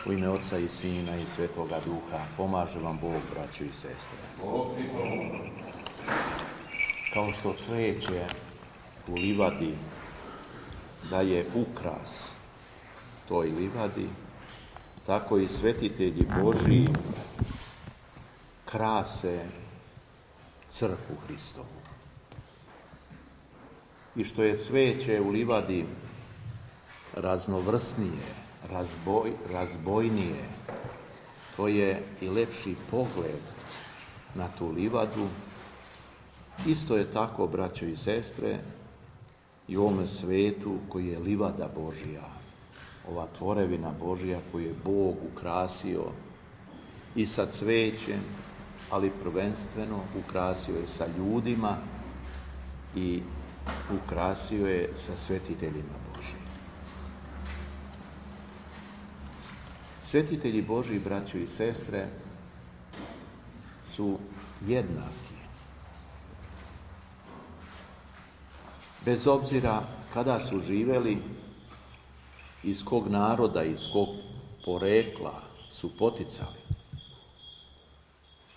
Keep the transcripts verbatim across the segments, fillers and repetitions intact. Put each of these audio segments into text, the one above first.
U ime Oca i Sina i Svetoga Duha, pomaže vam Bog, braćo i sestre. Kao što cveće u livadi daje ukras toj livadi, tako i svetitelji Božji krase crkvu Hristovu. I što je cveće u livadi raznovrsnije, razboj, razbojnije, to je i lepši pogled na tu livadu. Isto je tako, braćo i sestre, i u ovome svetu koji je livada Božja, ova tvorevina Božja koju je Bog ukrasio i sa cvećem, ali prvenstveno ukrasio je sa ljudima i ukrasio je sa svetiteljima Božjim. Svetitelji Božji, braćo i sestre, su jednaki. Bez obzira kada su živeli, iz kog naroda, iz kog porekla su poticali.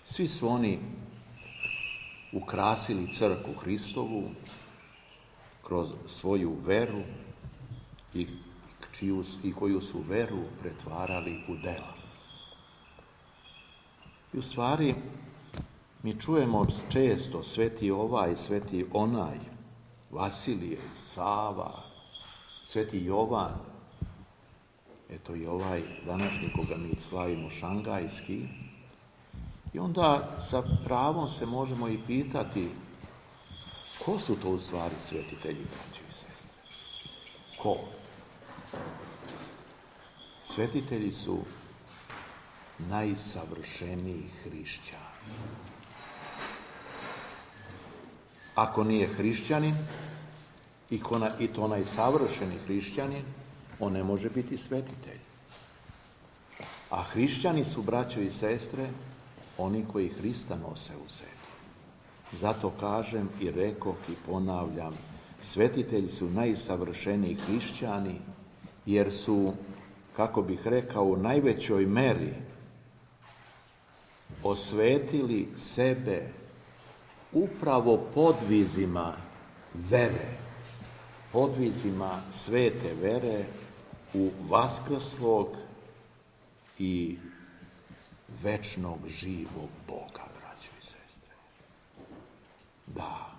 Svi su oni ukrasili crkvu Hristovu kroz svoju veru i, čiju, i koju su veru pretvarali u dela. I u stvari mi čujemo često sveti ovaj, sveti onaj, Vasilije, Sava, sveti Jovan, eto i ovaj današnji koga mi slavimo šangajski. I onda sa pravom se možemo i pitati ko su to u stvari svetitelji, braćo i sestre? Ko? Svetitelji su najsavršeniji hrišćani. Ako nije hrišćanin, i to najsavršeni hrišćanin, on ne može biti svetitelj. A hrišćani su, braćo i sestre, oni koji Hrista nose u sebi. Zato kažem i rekoh i ponavljam, svetitelji su najsavršeniji hrišćani, jer su, kako bih rekao, u najvećoj meri osvetili sebe upravo podvizima vere, podvizima svete vere u vaskrslog i večnog živog Boga, braćo i sestre. Da.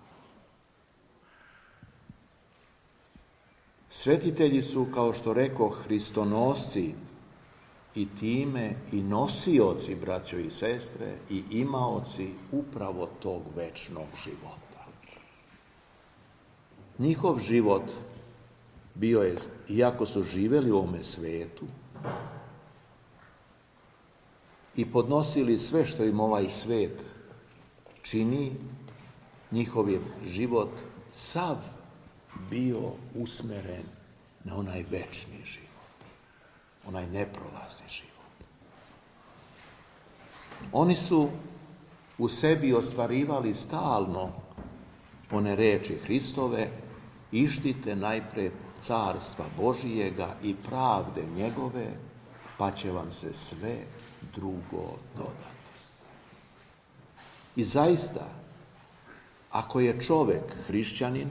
Svetitelji su, kao što rekoh, hristonosci i time i nosioci, braćo i sestre, i imaoci upravo tog večnog života. Njihov život bio je, iako su živjeli u ovome svetu i podnosili sve što im ovaj svet čini, njihov je život sav bio usmeren na onaj večni život, onaj neprolazni život. Oni su u sebi ostvarivali stalno one reči Hristove: ištite najpre carstva Božijega i pravde njegove, pa će vam se sve drugo dodati. I zaista, ako je čovjek hrišćanin,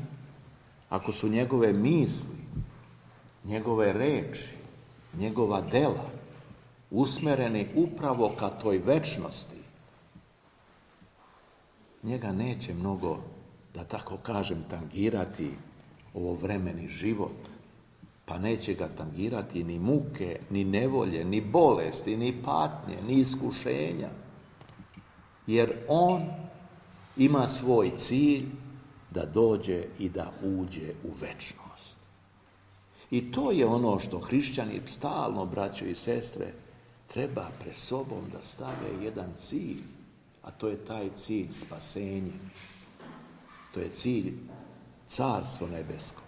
ako su njegove misli, njegove reči, njegova dela usmereni upravo ka toj večnosti, njega neće mnogo, da tako kažem, tangirati ovo vremeni život, pa neće ga tangirati ni muke, ni nevolje, ni bolesti, ni patnje, ni iskušenja, jer on ima svoj cilj da dođe i da uđe u večnost. I to je ono što hrišćani stalno, braćo i sestre, treba pred sobom da stave jedan cilj, a to je taj cilj spasenja. To je cilj carstvo nebesko.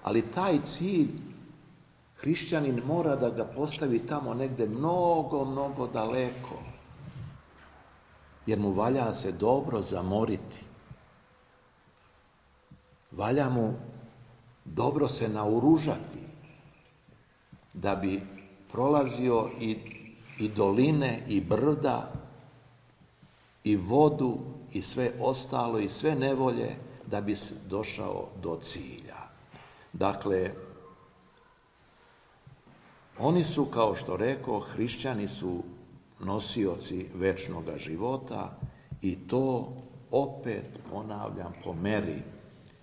Ali taj cilj hrišćanin mora da ga postavi tamo negde mnogo, mnogo daleko. Jer mu valja se dobro zamoriti. Valja mu dobro se naoružati da bi prolazio i, i doline, i brda, i vodu, i sve ostalo, i sve nevolje, da bi došao do cilja. Dakle, oni su, kao što rekao, hrišćani su nosioci večnoga života i to opet, ponavljam, po meri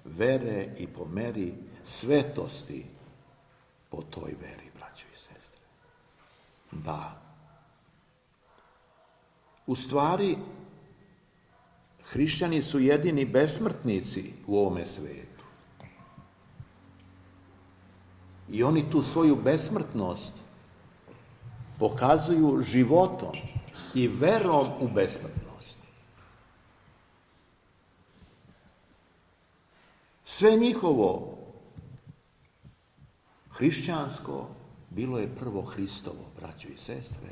vere i po meri svetosti po toj veri, braćo i sestre. Da. U stvari, hrišćani su jedini besmrtnici u ovome svijetu. I oni tu svoju besmrtnost pokazuju životom i verom u besmrtnost. Sve njihovo hrišćansko bilo je prvo Hristovo, braćo i sestre,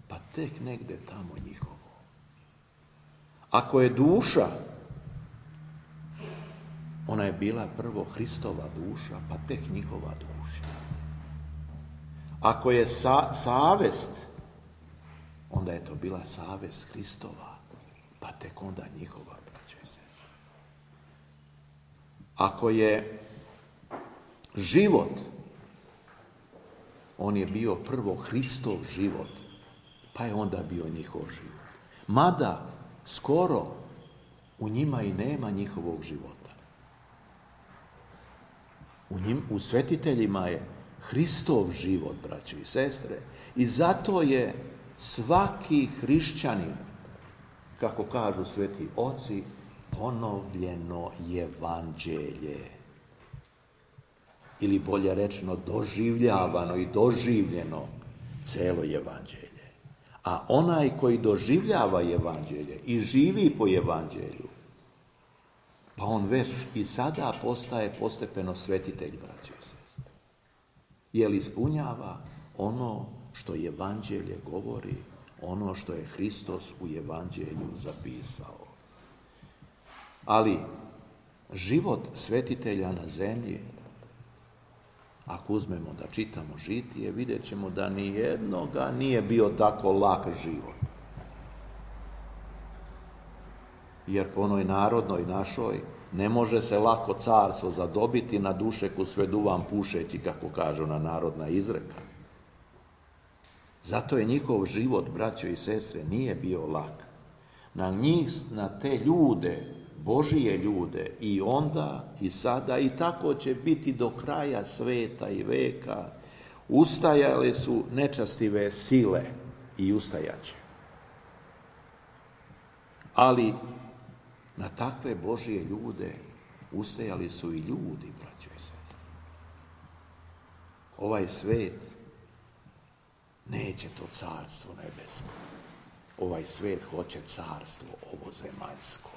pa tek negde tamo njihovo. Ako je duša, ona je bila prvo Hristova duša, pa tek njihova duša. Ako je sa, savest, onda je to bila savest Hristova, pa tek onda njihova, braćo i sestre. Ako je život, on je bio prvo Hristov život, pa je onda bio njihov život. Mada skoro u njima i nema njihovog života. U, njim, u svetiteljima je Hristov život, braćo i sestre, i zato je svaki hrišćanin, kako kažu sveti oci, ponovljeno evanđelje. Ili bolje rečeno, doživljavano i doživljeno celo evanđelje. A onaj koji doživljava evanđelje i živi po evanđelju, pa on već i sada postaje postepeno svetitelj, braćo i sestre. Jer ispunjava ono što evanđelje govori, ono što je Hristos u evanđelju zapisao. Ali život svetitelja na zemlji, ako uzmemo da čitamo žitije, vidjet ćemo da ni jednoga nije bio tako lak život. Jer po onoj narodnoj našoj ne može se lako carstvo zadobiti na dušeku sve duvan pušeći, kako kažu na narodna izreka. Zato je njihov život, braćo i sestre, nije bio lak. Na njih, na te ljude, Božije ljude, i onda i sada i tako će biti do kraja sveta i veka, ustajale su nečastive sile i ustajaće. Ali na takve Božije ljude ustajali su i ljudi, braćo i sestre. Ovaj svet neće to carstvo nebesko. Ovaj svet hoće carstvo ovozemaljsko.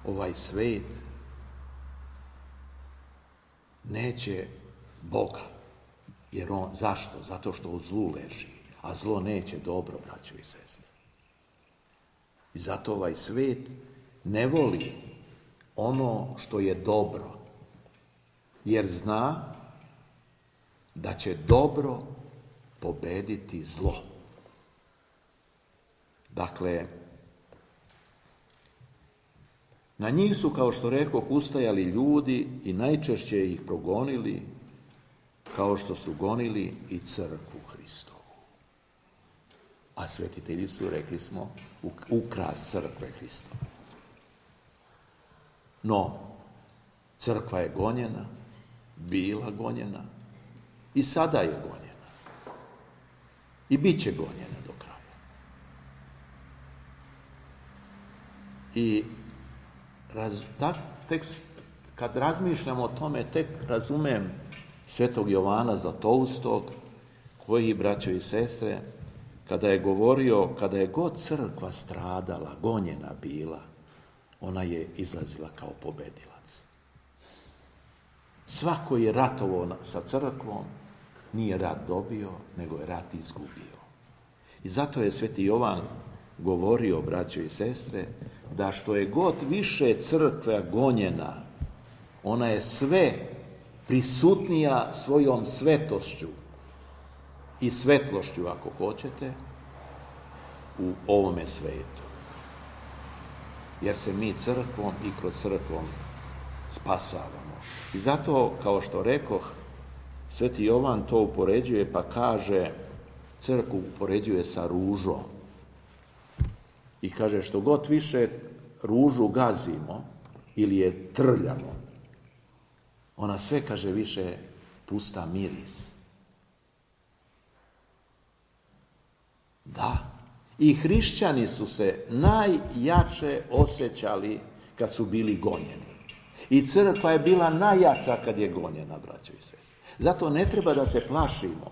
Ovaj svet neće Boga. Jer on, zašto? Zato što u zlu leži. A zlo neće dobro, braćo i sestre. I zato ovaj svet ne voli ono što je dobro. Jer zna da će dobro pobediti zlo. Dakle, na njih su, kao što rekoh, ustajali ljudi i najčešće ih progonili, kao što su gonili i crkvu Hristovu. A svetitelji su, rekli smo, ukras crkve Hristove. No, crkva je gonjena, bila gonjena i sada je gonjena. I bit će gonjena do kraja. I raz, tak, tek, kad razmišljam o tome, tek razumem svetog Jovana Zlatoustog, koji, braćo i sestre, kada je govorio, kada je god crkva stradala, gonjena bila, ona je izlazila kao pobedilac. Svako je ratovao sa crkvom, nije rat dobio, nego je rat izgubio. I zato je sveti Jovan govorio, braćo i sestre, da što je god više crkva gonjena, ona je sve prisutnija svojom svetošću i svetlošću, ako hoćete, u ovome svijetu. Jer se mi crkvom i kroz crkvom spasavamo. I zato, kao što rekoh, Sveti Jovan to upoređuje, pa kaže, crkvu upoređuje sa ružom. I kaže, što god više ružu gazimo ili je trljamo, ona sve, kaže, više pusta miris. Da, i hrišćani su se najjače osjećali kad su bili gonjeni. I crkva je bila najjača kad je gonjena, braćo i sestre. Zato ne treba da se plašimo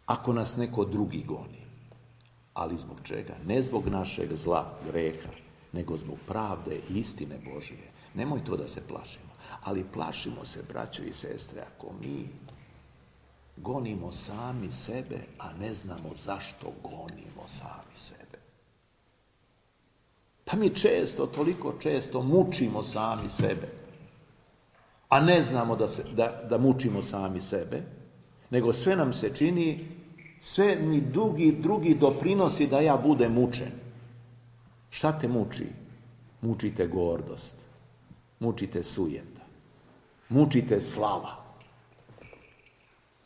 ako nas neko drugi goni. Ali zbog čega? Ne zbog našeg zla, greha, nego zbog pravde i istine Božije. Nemoj to da se plašimo. Ali plašimo se, braćo i sestre, ako mi gonimo sami sebe, a ne znamo zašto gonimo sami sebe. Pa mi često, toliko često mučimo sami sebe, a ne znamo da, se, da, da mučimo sami sebe, nego sve nam se čini, sve mi drugi, drugi doprinosi da ja budem mučen. Šta te muči? Mučite gordost, mučite sujeta, mučite slava.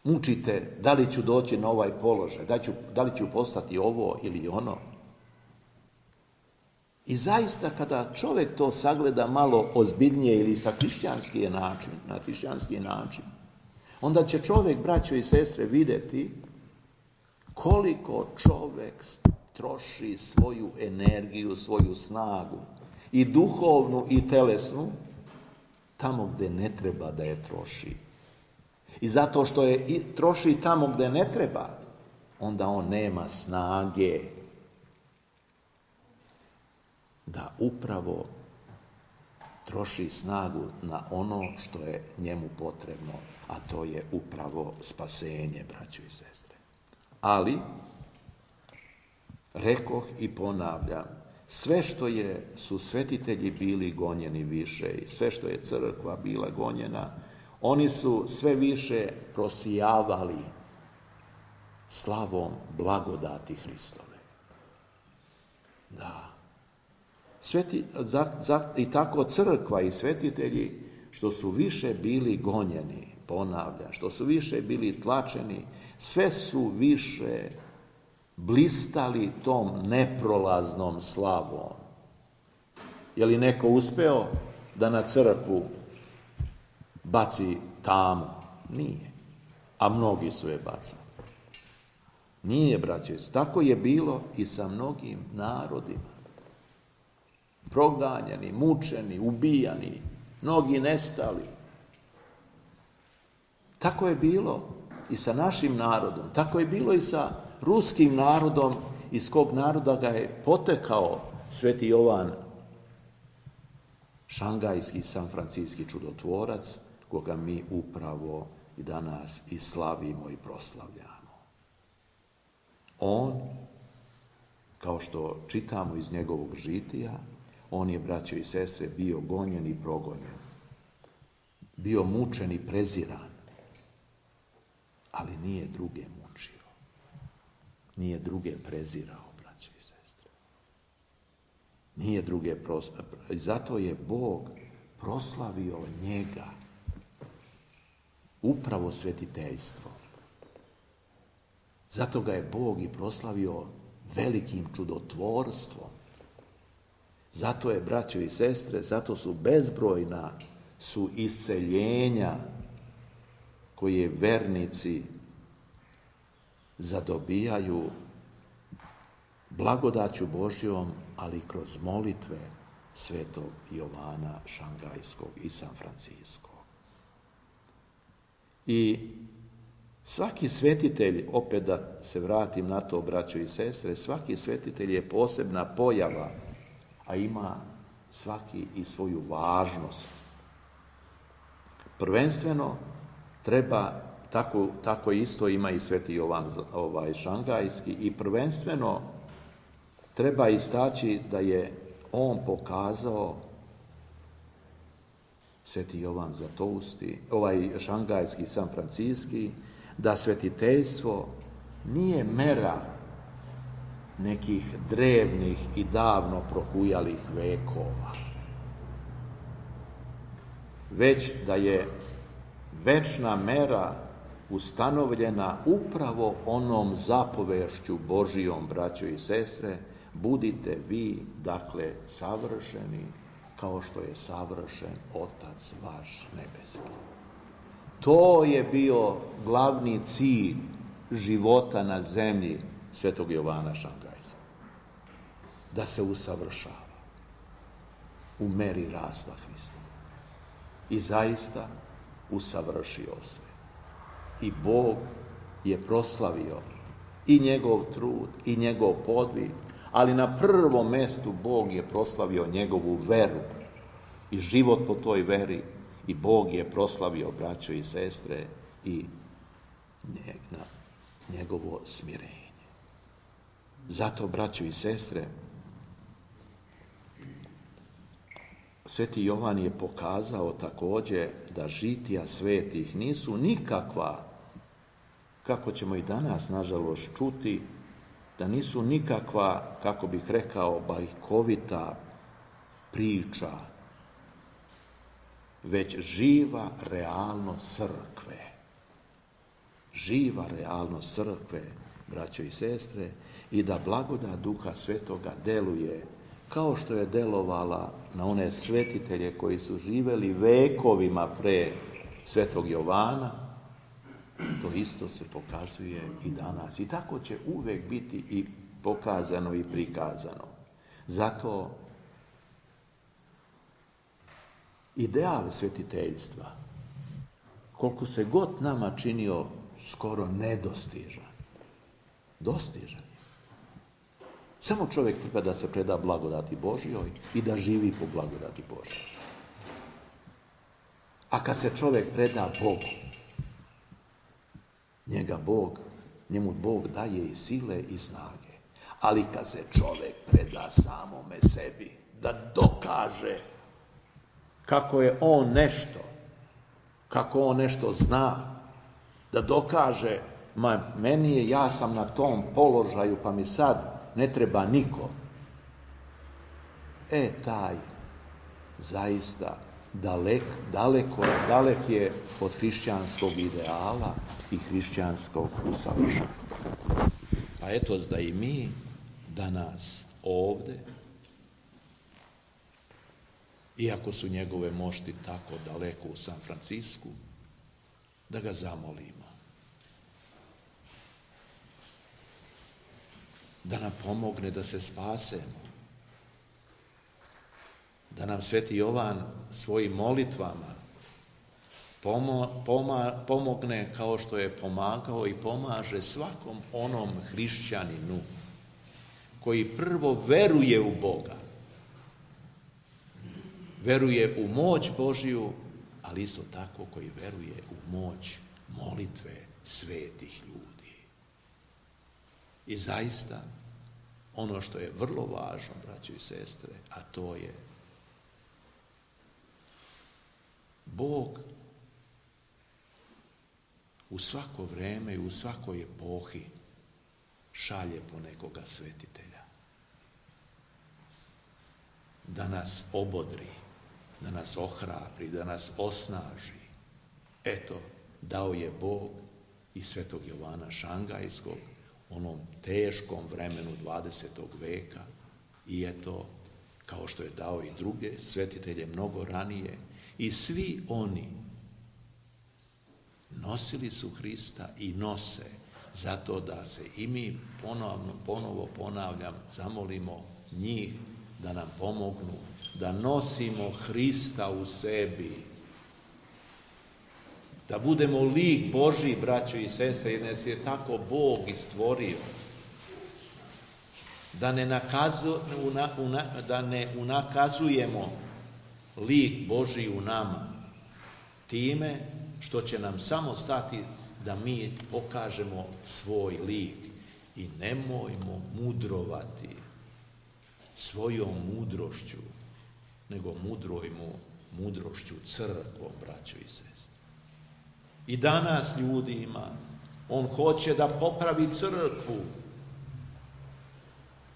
Mučite da li ću doći na ovaj položaj, da, ću, da li ću postati ovo ili ono. I zaista kada čovjek to sagleda malo ozbiljnije ili sa hrišćanski način, na hrišćanski način, onda će čovjek, braćo i sestre, vidjeti koliko čovjek troši svoju energiju, svoju snagu, i duhovnu i telesnu, tamo gdje ne treba da je troši. I zato što je troši tamo gdje ne treba, onda on nema snage da upravo troši snagu na ono što je njemu potrebno, a to je upravo spasenje, braćo i sestre. Ali, rekoh i ponavljam, sve što je, su svetitelji bili gonjeni više i sve što je crkva bila gonjena, oni su sve više prosijavali slavom blagodati Hristove. Da. Sveti, za, za, I tako crkva i svetitelji, što su više bili gonjeni, ponavljam, što su više bili tlačeni, sve su više blistali tom neprolaznom slavom. Je li neko uspeo da na crkvu baci tamu? Nije. A mnogi su je bacali. Nije, braćo. Tako je bilo i sa mnogim narodima. Proganjani, mučeni, ubijani, mnogi nestali. Tako je bilo i sa našim narodom. Tako je bilo i sa ruskim narodom, iz kog naroda ga je potekao Sveti Jovan, šangajski, sanfrancijski čudotvorac, koga mi upravo i danas i slavimo i proslavljamo. On, kao što čitamo iz njegovog žitija, on je, braćo i sestre, bio gonjen i progonjen. Bio mučen i preziran, ali nije druge mučio. Nije druge prezirao, braćo i sestre. Nije druge proslavio. I zato je Bog proslavio njega upravo svetiteljstvom. Zato ga je Bog i proslavio velikim čudotvorstvom. Zato je, braćo i sestre, zato su bezbrojna su isceljenja koje vernici zadobijaju blagodaću Božjom, ali kroz molitve Svetog Jovana Šangajskog i Sanfrancijskog. I svaki svetitelj, opet da se vratim na to, braćo i sestre, svaki svetitelj je posebna pojava, a ima svaki i svoju važnost. Prvenstveno treba, tako, tako isto ima i Sveti Jovan ovaj, Šangajski, i prvenstveno treba istaći da je on pokazao, Sveti Jovan Zlatousti, ovaj Šangajski, Sanfrancijski, da svetiteljstvo nije mera nekih drevnih i davno prohujalih vekova, već da je večna mera ustanovljena upravo onom zapovešću Božijom, braćo i sestre, budite vi, dakle, savršeni, kao što je savršen Otac vaš nebeski. To je bio glavni cilj života na zemlji svetog Jovana Šangajskog. Da se usavršava u meri rasta Hristova. I zaista usavršio se. I Bog je proslavio i njegov trud i njegov podvig, ali na prvom mestu Bog je proslavio njegovu veru i život po toj veri, i Bog je proslavio, braćo i sestre, i njegovo smirenje. Zato, braćo i sestre, Sveti Jovan je pokazao također da žitija svetih nisu nikakva, kako ćemo i danas nažalost čuti, da nisu nikakva, kako bih rekao, bajkovita priča, već živa realnost crkve. Živa realnost crkve, braćo i sestre, i da blagodat Duha Svetoga deluje kao što je delovala na one svetitelje koji su živeli vekovima pre svetog Jovana. To isto se pokazuje i danas. I tako će uvek biti i pokazano i prikazano. Zato ideal svetiteljstva, koliko se god nama činio skoro nedostižan, dostižan je. Samo čovjek treba da se preda blagodati Božjoj i da živi po blagodati Božjoj. A kad se čovjek preda Bogu, njega Bog, njemu Bog daje i sile i snage. Ali kad se čovjek preda samome sebi, da dokaže kako je on nešto, kako on nešto zna, da dokaže, ma meni je, ja sam na tom položaju, pa mi sad ne treba niko. E, taj zaista dalek, daleko, dalek je od hrišćanskog ideala i hrišćanskog usavršenja. Pa eto da i mi danas ovde, iako su njegove mošti tako daleko u San Francisku, da ga zamolimo. Da nam pomogne da se spasemo. Da nam Sveti Jovan svojim molitvama pomo, poma, pomogne kao što je pomagao i pomaže svakom onom hrišćaninu koji prvo veruje u Boga. Veruje u moć Božiju, ali isto tako koji veruje u moć molitve svetih ljudi. I zaista, ono što je vrlo važno, braćo i sestre, a to je Bog u svako vreme i u svakoj epohi šalje po nekoga svetitelja. Da nas obodri, da nas ohrabri, da nas osnaži. Eto, dao je Bog i svetog Jovana Šangajskog u onom teškom vremenu dvadesetog veka i eto, kao što je dao i druge svetitelje mnogo ranije, i svi oni nosili su Hrista i nose, zato da se i mi ponovno, ponovo ponavljam, zamolimo njih da nam pomognu, da nosimo Hrista u sebi, da budemo lik Božji, braćo i sestre, jer nas je tako Bog i stvorio. Da ne, nakazu, una, una, da ne unakazujemo lik Božji u nama time što će nam samo stati da mi pokažemo svoj lik. I nemojmo mudrovati svojom mudrošću, nego mudrujmo mudrošću crkvom, braćo i sestre. I danas ljudi ima On hoće da popravi crkvu.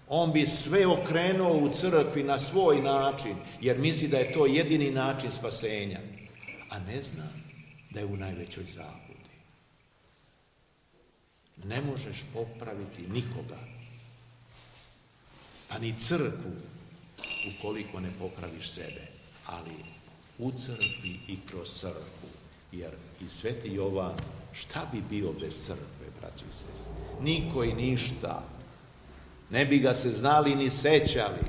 On bi sve okrenuo u crkvi na svoj način, jer misli da je to jedini način spasenja. A ne zna da je u najvećoj zabludi. Ne možeš popraviti nikoga, pa ni crkvu, ukoliko ne popraviš sebe. Ali u crkvi i kroz crkvu. Jer i Sveti Jovan, šta bi bio bez crkve, braći i sestre? Niko i ništa. Ne bi ga se znali ni sećali.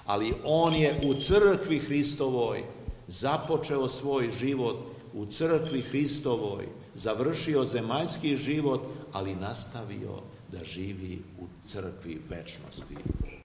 Ali on je u crkvi Hristovoj započeo svoj život, u crkvi Hristovoj završio zemaljski život, ali nastavio da živi u crkvi večnosti.